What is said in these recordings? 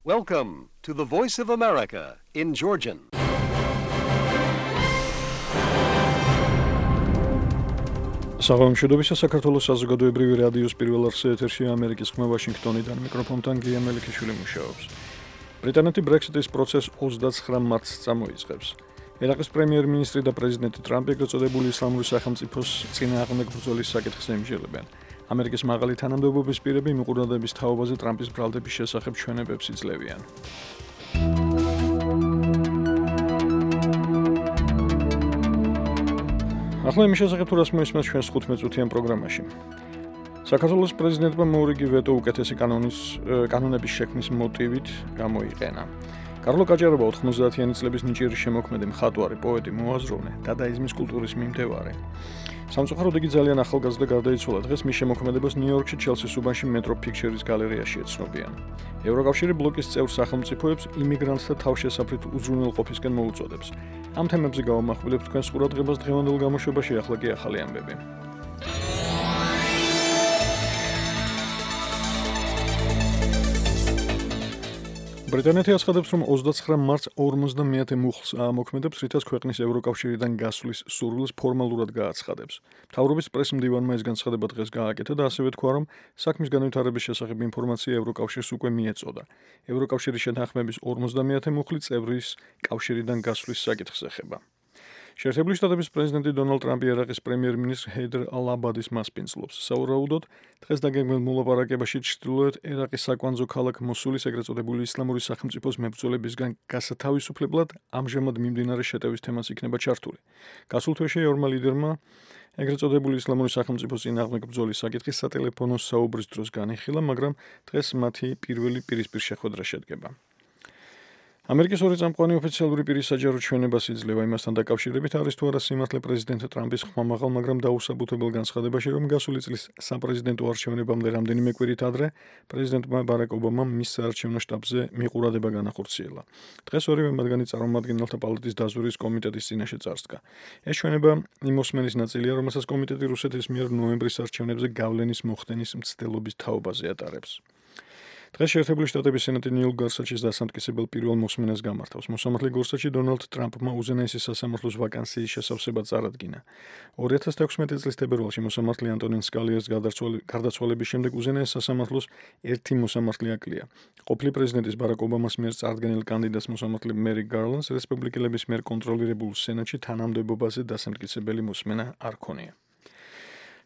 Welcome to the Voice of America in Georgian. საღამოშობისა საქართველოს საზოგადოებრივი რადიოს პირველ არხზე ეთერშია ამერიკის ხმა ვაშინგტონიდან მიკროფონთან გია მელიქიშვილი მუშაობს. ბრიტანეთი ბრექსიტის პროცესს 29 მარტს წამოიწყებს. ერაყის პრემიერ-მინისტრი და პრეზიდენტი ტრამპი ეგრეთ წოდებული ისლამური სახელმწიფოს წინააღმდეგ ბრძოლის საკითხს ემჯერებენ. ამერიკის მაღალი თანამდებობის პირები მიყურადების თაობაზე ტრამპის ბრალდების შესახებ ჩვენებებს იძლევიან. ახლა იმის შესახებ თუ რას მოისმენთ ჩვენს 15 წუთიან პროგრამაში. საქართველოს პრეზიდენტმა მოურიგი ვეტო უკეთესი კანონების შექმნის მოტივით გამოიყენა. კარლო გაჯარობა 90-იანი წლების ნიჭიერი შემოქმედი, მხატვარი, პოეტი, მოაზროვნე, დადაიზმის კულტურის მიმდევარი. სამწუხაროდ იგი ძალიან ახალგაზრდა გარდაიცვალა. დღეს მის შემოქმედებას ნიუ-იორკში ჩელსის უბანში მეტრო ფიქჩერის გალერეაში ეცნობიან. ევროკავშირი ბლოკის წევრ სახელმწიფოებს იმიგრანტთა თავშესაფრით უზრუნველყოფისკენ მოუწოდებს. ამ თემებზე გავამახვილებთ თქვენს ყურადღებას დღევანდელ გამოშვებაში, ახლა კი ახალი ამბები. ბრიტანეთი აცხადებს, რომ 29 მარტს 50-ე მუხლს აამოქმედებს, რითაც ქვეყნის ევროკავშირიდან გასვლის სურვილს ფორმალურად გააცხადებს. მთავრობის პრეს-მდივანმა ეს განცხადება დღეს გააკეთა და ასევე თქვა, რომ საქმის განვითარების შესახებ ინფორმაცია ევროკავშირს უკვე მიეწოდა. ევროკავშირის შეთანხმების 50-ე მუხლი წევრის კავშირიდან გასვლის საკითხს ეხება. შეერთებული შტატების პრეზიდენტი დონალდ ტრამპი ერაყის პრემიერ-მინისტრ ჰეიდერ ალ-აბადის მასპინძლობს. სავარაუდოდ, დღეს დაგეგმილ მოლაპარაკებაში ჩრდილოეთ ერაყის საკვანძო ქალაქ მოსულის ეგრეთ წოდებული ისლამური სახელმწიფოს მებრძოლებისგან გასათავისუფლებლად ამჟამად მიმდინარე შეტევის თემაც იქნება ჩართული. გასულ თვეში ორმა ლიდერმა ეგრეთ წოდებული ისლამური სახელმწიფოს წინააღმდეგ ბრძოლის საკითხი სატელეფონო საუბრის დროს განიხილა, მაგრამ დღეს მათი პირველი პირისპირ შეხვედრა შედგება. ამერიკის ორი წამყვანი ოფიციალური პირის საჯარო ჩვენებას იძლევა იმასთან დაკავშირებით, არის თუ არა სიმართლე პრეზიდენტ ტრამპის ხმამაღალ, მაგრამ დაუსაბუთებელ განცხადებაში, რომ გასული წლის საპრეზიდენტო არჩევნებამდე რამდენიმე კვირით ადრე პრეზიდენტმა ბარაკ ობამამ მის საარჩევნო შტაბზე მიყურადება განახორციელა. დღეს ორივე მათგანი წარმომადგენელთა პალატის დაზვერვის კომიტეტის წინაშე წარსდგა. ეს ჩვენება იმ მოსმენის ნაწილია, რომელსაც კომიტეტი რუსეთის მიერ ნოემბრის არჩევნებზე გავლენის მოხდენის მცდელობის თაობაზე ატარებს. დღეს შეერთებული შტატების სენატი ნილ გორსაჩის დასამტკიცებელ პირველ მოსმენას გამართავს. მოსამართლე გორსაჩი დონალდ ტრამპმა უზენაესი სასამართლოს ვაკანსიის შესავსებად წარადგინა. 2016 წლის თებერვალში მოსამართლე ანტონინ სკალიას გარდაცვალების შემდეგ უზენაეს სასამართლოს ერთი მოსამართლე აკლია. ყოფილი პრეზიდენტის ბარაკ ობამას მიერ წარდგენილ კანდიდატს მოსამართლე მერი გარლანდს რესპუბლიკელების მიერ კონტროლირებულ სენატში თანამდებობაზე დასამტკიცებელი მოსმენა არ ქონია.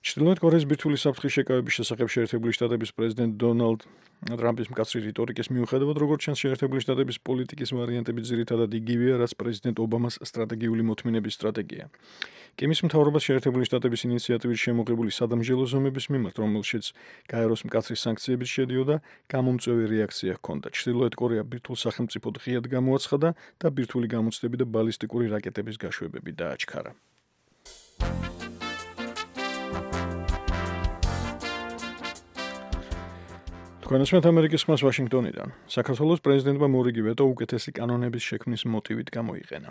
ჩრდილოეთ კორეის ბირთვული საფრთხის შეკავების შესახებ შეერთებული შტატების პრეზიდენტ დონალდ ტრამპის მკაცრი რიტორიკის მიუხედავად, როგორც ჩანს, შეერთებული შტატების პოლიტიკის ვარიანტები ძირითადად იგივეა, რაც პრეზიდენტ ობამას სტრატეგიული მოთმინების სტრატეგია. კიმის მთავრობას შეერთებული შტატების ინიციატივით შემოღებული სადამსჯელო ზომების მიმართ, რომელშიც გაეროს მკაცრი სანქციებით შედიოდა, გამომწვევი რეაქცია ჰქონდა. ჩრდილოეთ კორეა ბირთვულ სახელმწიფოდ ღიად გამოაცხადა და ბირთვული გამოცდები და ბალისტიკური რაკეტების გაშვებები დააჩქარა. თქვენესმეთ ამერიკის ხმას ვაშინგტონიდან. საქართველოს პრეზიდენტმა მოურიგი ვეტო უკეთესი კანონების შექმნის მოტივით გამოიყენა.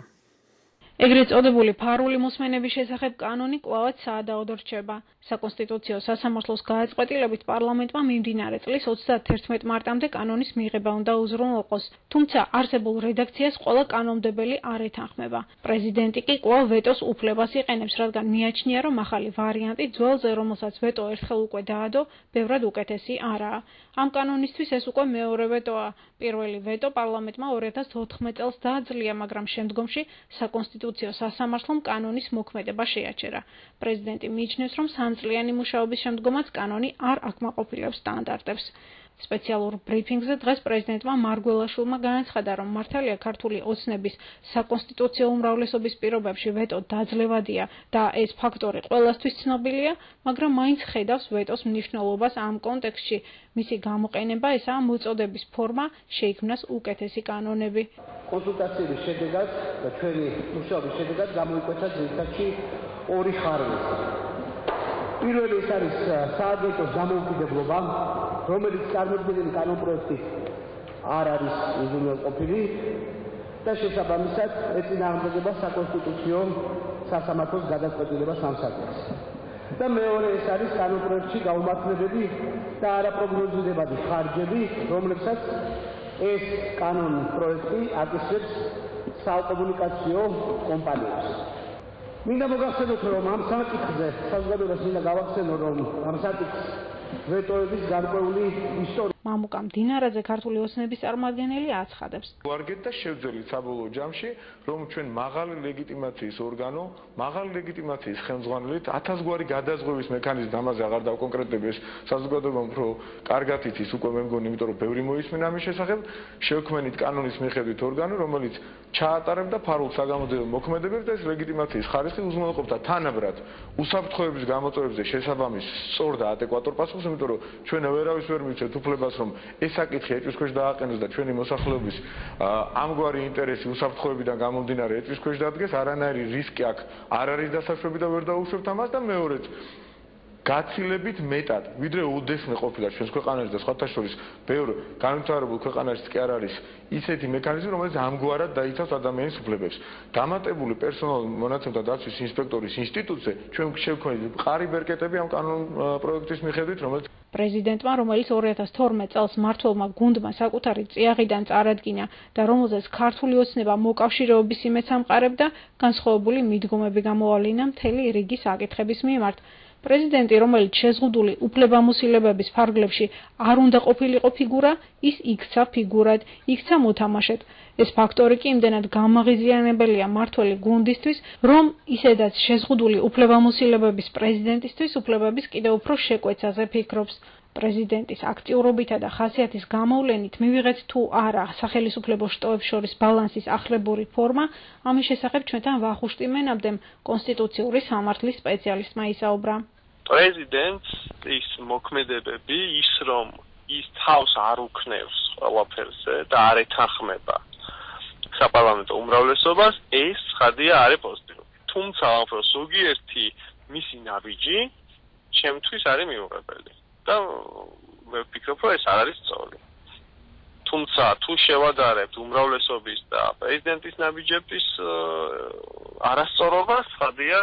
ეგრეთ წოდებული ფარული მოსმენების შესახებ კანონი კვლავაც საადაოდ რჩება. საკონსტიტუციო სასამართლოს გადაწყვეტილებით პარლამენტმა მიმდინარე წლის 31 მარტამდე კანონის მიღება უნდა უზრუნველყოს, თუმცა არსებულ რედაქციას ყველა კანონმდებელი არ ეთანხმება. პრეზიდენტი კი კვლავ ვეტოს უფლებას იყენებს, რადგან მიაჩნია, რომ ახალი ვარიანტი ძველზე, რომელსაც ვეტო ერთხელ უკვე დაადო, ბევრად უკეთესი არაა. ამ კანონისთვის ეს უკვე მეორე ვეტოა. პირველი ვეტო პარლამენტმა 2014 წელს დააძლია, მაგრამ შემდგომში საკონსტიტუციო სასამართლომ კანონის მოქმედება შეაჩერა. პრეზიდენტი მიიჩნევს, რომ სამწლიანი მუშაობის შემდგომაც კანონი არ აკმაყოფილებს სტანდარტებს. სპეციალურ ბრიფინგზე დღეს პრეზიდენტმა მარგველაშვილმა განაცხადა, რომ მართალია ქართული ოცნების საკონსტიტუციო უმრავლესობის პირობებში ვეტო დაძლევადია და ეს ფაქტორი ყველასთვის ცნობილია, მაგრამ მაინც ხედავს ვეტოს მნიშვნელობას ამ კონტექსტში. მისი გამოყენება ესაა მოწოდების ფორმა, შეიქმნას უკეთესი კანონები. კონსულტაციების შედეგად და ჩვენი მუშაობის შედეგად გამოიკვეთა ძირითადში ორი ხარვი. პირველი ეს არის საადვეტოს დამოუკიდებლობა, რომელიც წარმოქმნილი კანონპროექტით არ არის უზრუნველყოფილი და შესაბამისად ეწინააღმდეგება საკონსტიტუციო სასამართლოს გადაწყვეტილებას ამ საკითხს. და მეორე ეს არის კანონპროექტში გაუმართლებები და არაპროგნოზირებადი ხარჯები, რომლებსაც ეს კანონის პროექტი აკისრებს საკომუნიკაციო კომპანიებს. მინდა მოგახსენოთ, რომ ამ საკითხზე საზოგადოებას მინდა გავახსენო, რომ ამ საკითხს ვეტოების გარკვეული ისტორია მამუკა მდინარაძე ქართული ოცნების წარმომადგენელი აცხადებს. ვარგეთ და შევძელით საბოლოო ჯამში, რომ ჩვენ მაღალი ლეგიტიმაციის ორგანო, მაღალი ლეგიტიმაციის ხელმძღვანელით 1000 გვარი გადაზღვევის მექანიზმი, ამაზე აღარ დავკონკრეტებ, ეს საზოგადოებამ უფრო კარგად იცის უკვე მე მგონი, იმიტომ რომ ბევრი მოისმენა ამის შესახებ, შევქმნით კანონის მიხედვით ორგანო, რომელიც ჩაატარებდა ფარულ საგამოძიებო მოქმედებებს და ეს ლეგიტიმაციის ხარისხი უზრუნველყოფდა თანაბრად უსაფრთხოების გამოწვევებზე შესაბამის სწორ და ადეკვატურ პასუხს, იმიტომ რომ ჩვენ ვერავის ვერ მივცეთ უფლებას რომ ეს საკითხი ეჭვის ქვეშ დააყენოს და ჩვენი მოსახლეობის ამგვარი ინტერესი უსაფრთხოებიდან გამომდინარე ეჭვის ქვეშ დადგეს, არანაირი რისკი აქ არ არის დასაშვები და ვერ დაუშვებთ ამას და მეორედ გაცილებით მეტად, ვიდრე უდესმე ყოფილა ჩვენს ქვეყანაში და სხვათა შორის ბევრ განვითარებულ ქვეყანაში კი არ არის ისეთი მექანიზმი, რომელიც ამგვარად დაიცავს ადამიანის უფლებებს. დამატებული პერსონალური მონაცემთა დაცვის ინსპექტორის ინსტიტუტზე ჩვენ შევქმნით მყარი ბერკეტები ამ კანონ პროექტის მიხედვით, რომელიც პრეზიდენტმა, რომელიც 2012 წელს მმართველმა გუნდმა საკუთარი წიაღიდან წარადგინა და რომელზეც ქართული ოცნება მოკავშირეობის იმედს ამყარებდა, განსხვავებული მიდგომები გამოავლინა მთელი რიგი საკითხების მიმართ. პრეზიდენტი, რომელიც შეზღუდული უფლებამოსილებების ფარგლებში არ უნდა ყოფილიყო ფიგურა, ის იქცა ფიგურად, იქცა მოთამაშედ. ეს ფაქტორი კი იმდენად გამაღიზიანებელია მმართველი გუნდისთვის, რომ ისედაც შეზღუდული უფლებამოსილებების პრეზიდენტისთვის უფლებების კიდევ უფრო შეკვეცაზე ფიქრობს. პრეზიდენტის აქტიურობითა და ხასიათის გამოვლენით მივიღეთ თუ არა სახელისუფლებო შტოებს შორის ბალანსის ახლებური ფორმა, ამის შესახებ ჩვენთან ვახუშტი მენაბდემ კონსტიტუციური სამართლის სპეციალისტმა ისაუბრა. პრეზიდენტს ის მოქმედებები, ის რომ ის თავს არ უქნევს ყველაფერზე და არ ეთანხმება საპარლამენტო უმრავლესობას, ეს ცხადია არის პოზიტიური. თუმცა უფრო ზოგიერთი მისი ნაბიჯი ჩემთვის არის მიუღებელი. და მე ვფიქრობ, რომ ეს არ არის სწორი. თუმცა თუ შევადარებთ უმრავლესობის და პრეზიდენტის ნაბიჯების არასწორობას, ხადია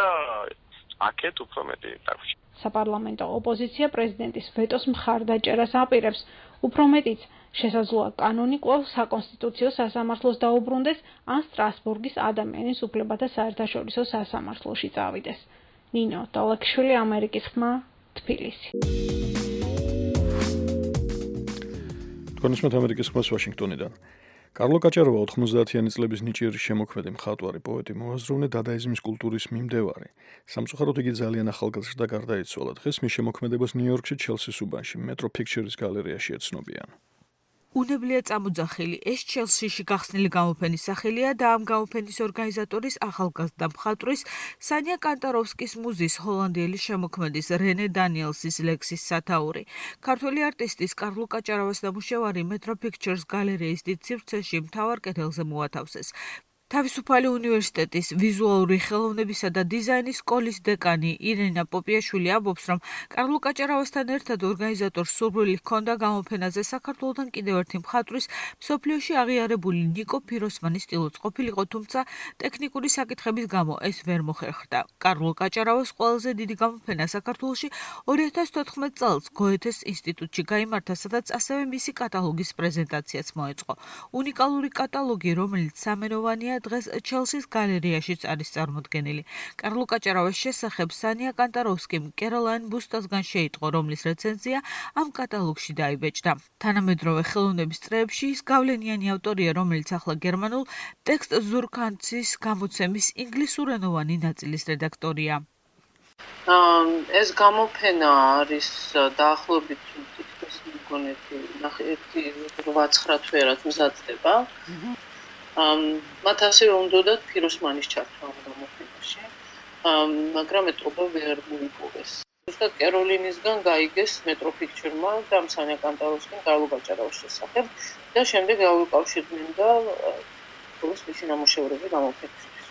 აქეთ უფრო მეტი დაგვრჩა. საპარლამენტო ოპოზიცია პრეზიდენტის ვეტოს მხარდაჭერას აპირებს. უფრო მეტიც, შესაძლოა კანონი კვლავ საკონსტიტუციო სასამართლოს დაუბრუნდეს ან სტრასბურგის ადამიანის უფლებათა საერთაშორისო სასამართლოში წავიდეს. ნინო დოლაკვიშვილი, ამერიკის ხმა, თბილისი. თქვენისმეთ ამერიკის ხმას ვაშინგტონიდან. კარლო კაჭაროვა 90-იანი წლების ნიჭიერი შემოქმედი, მხატვარი, პოეტი, მოაზროვნე დადაიზმის კულტურის მიმდევარი. სამწუხაროდ იგი ძალიან ახალგაზრდა გარდაიცვალა. დღეს მის შემოქმედებას ნიუ-იორკში ჩელსის უბანში, მეტრო ფიქჩერის გალერეაში ეცნობიან. უნებლია წამოძახილი, ეს ჩელსიში გახსნილი გამოფენის სახელია და ამ გამოფენის ორგანიზატორის ახალგაზრდა მხატვრის სანია კანტაროვსკის მუზის ჰოლანდიელი შემოქმედის რენე დანიელსის ლექსის სათაური. ქართველი არტისტის კარლო კაჭარავას ნამუშევარი მეტრო ფიქჩერს გალერეის დიდ სივრცეში მთავარ კედელზე მოათავსეს. თავისუფალი უნივერსიტეტის ვიზუალური ხელოვნებისა და დიზაინის სკოლის დეკანი ირენა პოპიაშვილი ამბობს, რომ კარლო კაჭარავასთან ერთად ორგანიზატორს სურვილი ჰქონდა გამოფენაზე საქართველოდან კიდევ ერთი მხატვრის მსოფლიოში აღიარებული ნიკო ფიროსმანის სტილოც ყოფილიყო, თუმცა ტექნიკური საკითხების გამო ეს ვერ მოხერხდა. კარლო კაჭარავას ყველაზე დიდი გამოფენა საქართველოში 2014 წელს გოეთეს ინსტიტუტში გაიმართა, სადაც ასევე მისი კატალოგის პრეზენტაციაც მოეწყო. უნიკალური კატალოგი, რომელიც სამენოვანია, დღეს ჩელსის გალერეაშიც არის წარმოდგენილი. კარლო კაჭარავას შესახებ სანია კანტაროვსკიმ კეროლაინ ბუსტასგან შეიტყო, რომლის რეცენზია ამ კატალოგში დაიბეჭდა. თანამედროვე ხელოვნების წრეებში ის გავლენიანი ავტორია, რომელიც ახლა გერმანულ ტექსტ ზურქანცის გამოცემის ინგლისურენოვანი ნაწილის რედაქტორია. ეს გამოფენა არის დაახლოებით თითქოს მგონი 8-9 თვეურად მზადდება. მათ ასევე უნდათ ფიროსმანის ჩართვა ამ გამოფენაში, მაგრამ ეტყობა ვერ მოიპოვეს. ზუსტად კეროლინისგან გაიგეს მეტრო ფიქჩერმა და სანია კანტაროვსკიმ კარლო კაჭარავას შესახებ და შემდეგ გავუკავშირდნენ და მისი ნამუშევრები გამოფენისთვის.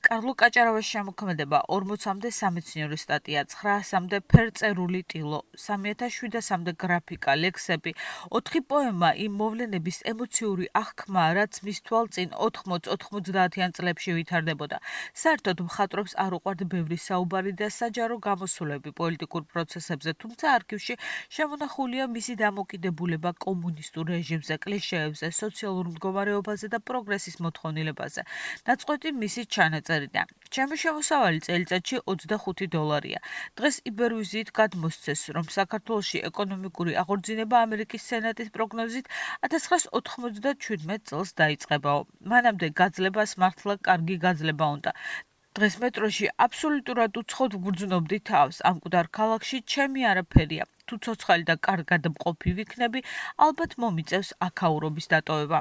კარლო კაჭარავას შემოქმედება 40-მდე სამეცნიერო სტატია, 900-მდე ფერწერული ტილო, 3700-მდე გრაფიკა, ლექსები, 4 პოემა იმ მოვლენების ემოციური აღქმა, რაც მის თვალწინ 80-90-იან წლებში ვითარდებოდა. საერთოდ მხატვრებს არ უყვართ ბევრი საუბარი და საჯარო გამოსვლები პოლიტიკურ პროცესებზე, თუმცა არქივში შემონახულია მისი დამოკიდებულება კომუნისტურ რეჟიმზე, კლიშეებზე, სოციალურ მდგომარეობაზე და პროგრესის მოთხოვნილებაზე. ნაწყვეტი მისი ჩანაწერიდან. ჩემი შემოსავალი წელიწადში $25. დღეს იბერვიზიით გადმოსცეს, რომ საქართველოში ეკონომიკური აღორძინება ამერიკის სენატის პროგნოზით 1997 წელს დაიწყებაო. მანამდე გაძლებას მართლა კარგი გაძლება უნდა. დღეს მეტროში აბსოლუტურად უცხოდ ვგრძნობდი თავს, ამ მკვდარ ქალაქში ჩემი არაფერია. თუ ცოცხალი და კარგად მყოფი ვიქნები, ალბათ მომიწევს აქაურობის დატოვება.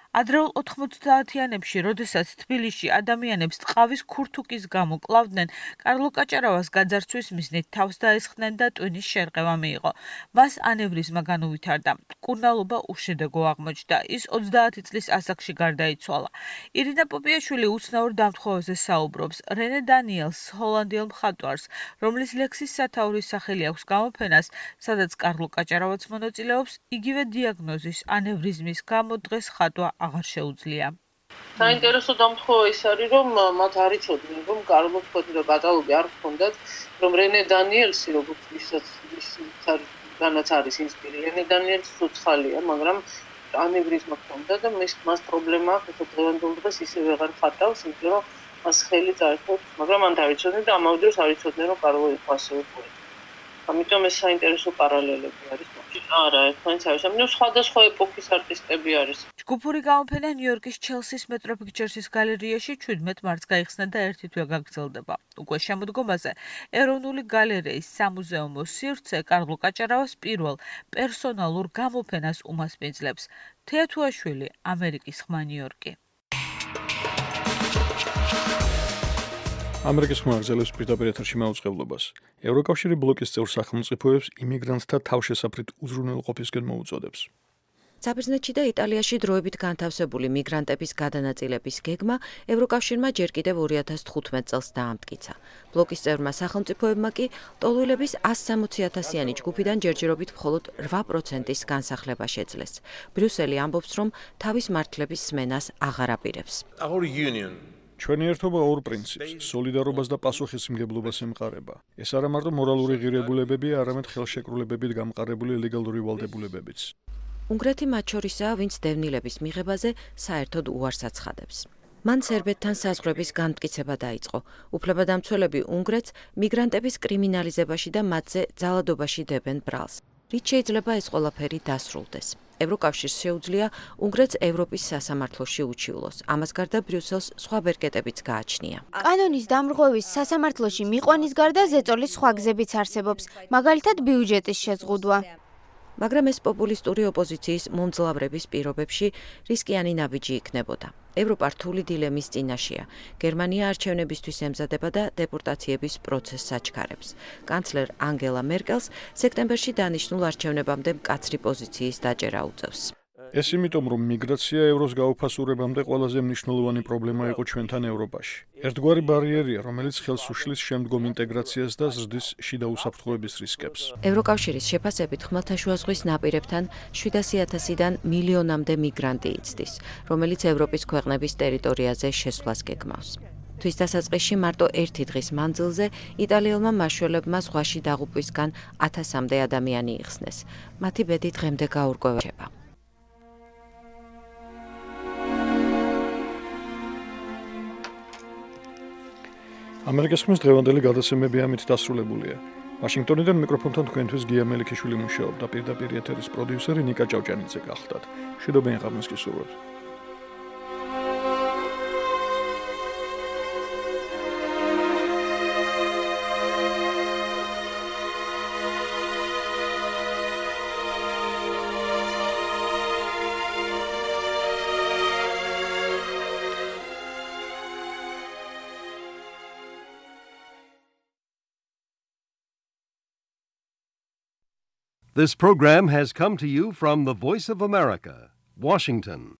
ადრეულ 90-იანებში, როდესაც თბილისში ადამიანებს ტყავის ქურთუკის გამო კლავდნენ, კარლო კაჭარავას გაძარცვის მიზნით თავს დაესხნენ და ტვინის შერყევა მიიღო. მას ანევრიზმა განუვითარდა. მკურნალობა უშედეგო აღმოჩნდა. ის 30 წლის ასაკში გარდაიცვალა. ირინა პოპიაშვილი უცნაურ დამთხოვაზე საუბრობს. რენე დანიელს, ჰოლანდიელ მხატვარს, რომლის ლექსის სათაურის სახელი აქვს გამოფენას, სადაც კარლო კაჭარავაც მონაწილეობს, იგივე დიაგნოზის ანევრიზმის გამო დღეს ხატვა აღარ შეუძლია. საინტერესო დამთხოვა ის არის, რომ მათ არ იცოდნენ, რომ კარლო ფოტო კატალოგი არ ჰქონდათ, რომ რენე დანიელსი, როგორც განაც არის ინსპირირებული, რენე დანიელსი ცოცხალია, მაგრამ ანევრიზმა ჰქონდა და მას პრობლემა აქვს, რომ დღევანდელ დღეს ისე ვეღარ ხატავს, იმიტომ რომ მას ხელი წაერთოს, მაგრამ მან დაიცოდნენ და ამავე დროს არ იცოდნენ, რომ კარლო იყო ასევე პოეტი. ამიტომ ეს საინტერესო პარალელები არის. არა, ერთმანეთს არის. ამიტომ სხვადასხვა ეპოქის არტისტები არის. ჯგუფური გამოფენა ნიუ-იორკის ჩელსის მეტრო პიქჩერსის გალერეაში 17 მარტს გაიხსნა და ერთი თვე გაგრძელდება. უკვე შემოდგომაზე ეროვნული გალერეის სამუზეუმო სივრცე კარლო კაჭარავას პირველ პერსონალურ გამოფენას უმასპინძლებს. თეათუაშვილი, ამერიკის ხმა ნიუ-იორკი. ამერიკის ხმა გრძელებს პირდაპირ ეთერში მაუწყებლობას. ევროკავშირი ბლოკის წევრ სახელმწიფოებს იმიგრანტთა თავშესაფრით უზრუნველყოფისკენ მოუწოდებს. საბერძნეთში და იტალიაში დროებით განთავსებული მიგრანტების გადანაწილების გეგმა ევროკავშირმა ჯერ კიდევ 2015 წელს დაამტკიცა. ბლოკის წევრმა სახელმწიფოებმა კი ტოლვილების 160,000-იანი ჯგუფიდან ჯერჯერობით მხოლოდ 8%-ის განსახლება შეძლეს. ბრიუსელი ამბობს, რომ თავის მართლების სმენას აღარ აპირებს. ჩვენი ერთობა ორ პრინციპს, სოლიდარობას და პასუხისმგებლობას ემყარება. ეს არა მარტო მორალური ღირებულებებია, არამედ ხელშეკრულებებით გამყარებული ლეგალური ვალდებულებებიც. უნგრეთი მათ შორისაა, ვინც დევნილების მიღებაზე საერთოდ უარს აცხადებს. მან სერბეთთან საზღვრების განმტკიცება დაიწყო. უფლებადამცველები უნგრეთს მიგრანტების კრიმინალიზებაში და მათზე ძალადობაში დებენ ბრალს. რით შეიძლება ეს ყველაფერი დასრულდეს? ევროკავშირს შეუძლია უნგრეთს ევროპის სასამართლოში უჩივლოს. ამას გარდა ბრიუსელს სხვა ბერკეტებიც გააჩნია. კანონის დამრღვევის სასამართლოში მიყვანის გარდა ზეწოლის სხვა გზებიც არსებობს, მაგალითად ბიუჯეტის შეზღუდვა. მაგრამ ეს პოპულისტური ოპოზიციის მომძლავრების პირობებში რისკიანი ნაბიჯი იქნებოდა. ევროპა რთული დილემის წინაშეა. გერმანია არჩევნებისთვის ემზადება და დეპორტაციების პროცესს აჩქარებს. კანცლერ ანგელა მერკელს სექტემბერში დანიშნულ არჩევნებამდე მკაცრი პოზიციის დაჭერა უწევს. ეს იმიტომ, რომ მიგრაცია ევროს გაუფასურებამდე ყველაზე მნიშვნელოვანი პრობლემა იყო ჩვენთან ევროპაში. ერთგვარი ბარიერია, რომელიც ხელს უშლის შემდგომ ინტეგრაციას და ზრდის შიდა უსაფრთხოების რისკებს. ევროკავშირის შეფასებით ხმელთაშუა ზღვის ნაპირებთან 700,000-დან მილიონამდე მიგრანტი იცდის, რომელიც ევროპის ქვეყნების ტერიტორიაზე შესვლას გეგმავს. თვის დასაწყისში მარტო ერთი დღის მანძილზე იტალიელმა მაშველებმა ზღვაში დაღუპვისგან 1000-მდე ადამიანი იხსნეს. მათი ბედი დღემდე გაურკვევა. ამერიკის ხმის დღევანდელი გადაცემები ამით დასრულებულია. ვაშინგტონიდან მიკროფონთან თქვენთვის გია მელიქიშვილი მუშაობდა, პირდაპირ ეთერის პროდიუსერი ნიკა ჭავჭანიძე გახლდათ. მშვიდობიან ღამეს გისურვებთ. This program has come to you from the Voice of America, Washington.